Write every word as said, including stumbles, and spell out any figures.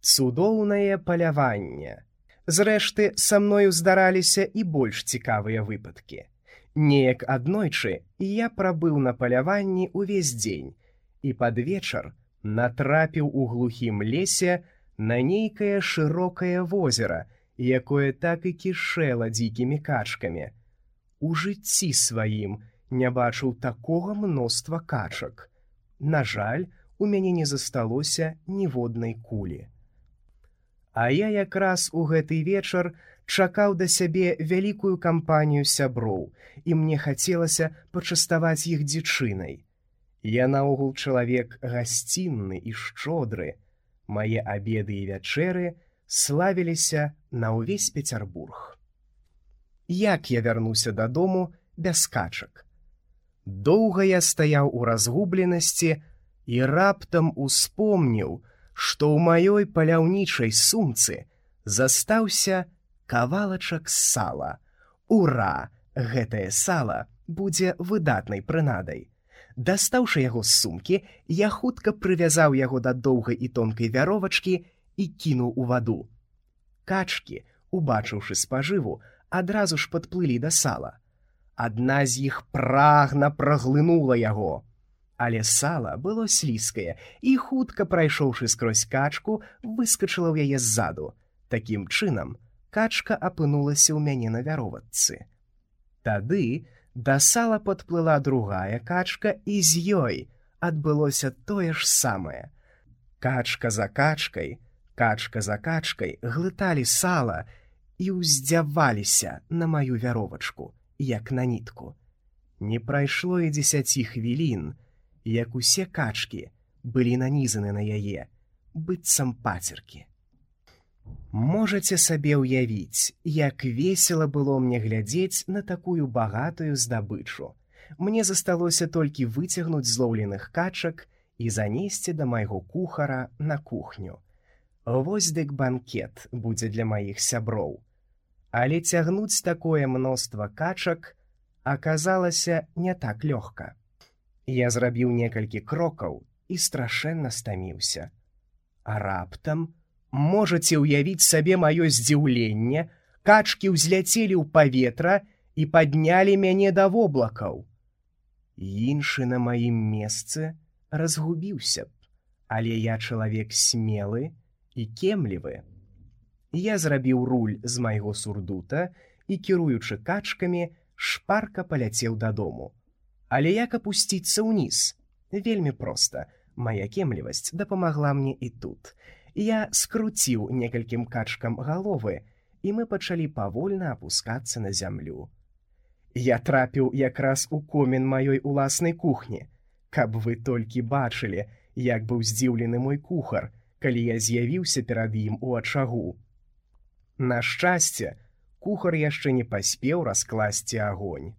Цудоўнае паляванне. Зрэшты, са мною здараліся і больш цікавыя выпадкі. Неяк аднойчы я прабыў на паляванні ўвесь дзень і пад вечар натрапіў у глухім лесе на нейкае шырокае возера, якое так і кішэла дзікімі качкамі. У жыцці сваім не бачыў такога мноства качак. На жаль, у мяне не засталося ніводнай кулі. А я якраз у гэты вечар чакаў да сябе вялікую кампанію сяброў, і мне хацелася пачаставаць іх дзічынай. Я наогул чалавек гасцінны і шчодры. Мае абеды і вячэры славіліся на ўвесь Пецярбург. Як я вярнуся дадому без качак? Доўга я стаяў у разгубленасці і раптам успомніў, што ў маёй паляўнічай сумцы застаўся кавалачак сала. Ура! Гэтае сала будзе выдатнай прынадай. Дастаўшы яго з сумкі, я хутка прывязаў яго да доўгай і тонкай вяровачкі і кінуў у ваду. Качкі, убачыўшы спажыву, адразу ж падплылі да сала. Адна з іх прагна праглынула яго. Але сала было слізкае, і хутка, прайшоўшы скрозь качку, выскачыла ў яе ззаду. Такім чынам, качка апынулася ў мяне на вяровачцы. Тады да сала падплыла другая качка, і з ёй адбылося тое ж самае. Качка за качкай, качка за качкай глыталі сала і ўздзяваліся на маю вяровачку, як на нітку. Не прайшло і дзесяці хвілін, як усе качкі былі нанізаны на яе, быццам пацеркі. Можаце сабе ўявіць, як весела было мне глядзець на такую багатую здабычу. Мне засталося толькі выцягнуць злоўленых качак і занесці да майго кухара на кухню. Вось дык банкет будзе для маіх сяброў. Але цягнуць такое мноства качак аказалася не так лёгка. Я зрабіў некалькі крокаў і страшэнна стаміўся. А раптам, можаце ўявіць сабе маё здзіўленне, качкі ўзляцелі ў паветра і паднялі мяне да воблакаў. Іншы на маім месцы разгубіўся б, але я чалавек смелы і кемлівы. Я зрабіў руль з майго сурдута і, кіруючы качкамі, шпарка паляцеў дадому. Але як апусціцца ўніз? Вельмі проста. Мая кемлівасць дапамагла мне і тут. Я скруціў некалькім качкам галовы, і мы пачалі павольна апускацца на зямлю. Я трапіў якраз у комін маёй уласнай кухні. Каб вы толькі бачылі, як быў здзіўлены мой кухар, калі я з'явіўся перад ім у ачагу. На шчасце, кухар яшчэ не паспеў раскласці агонь.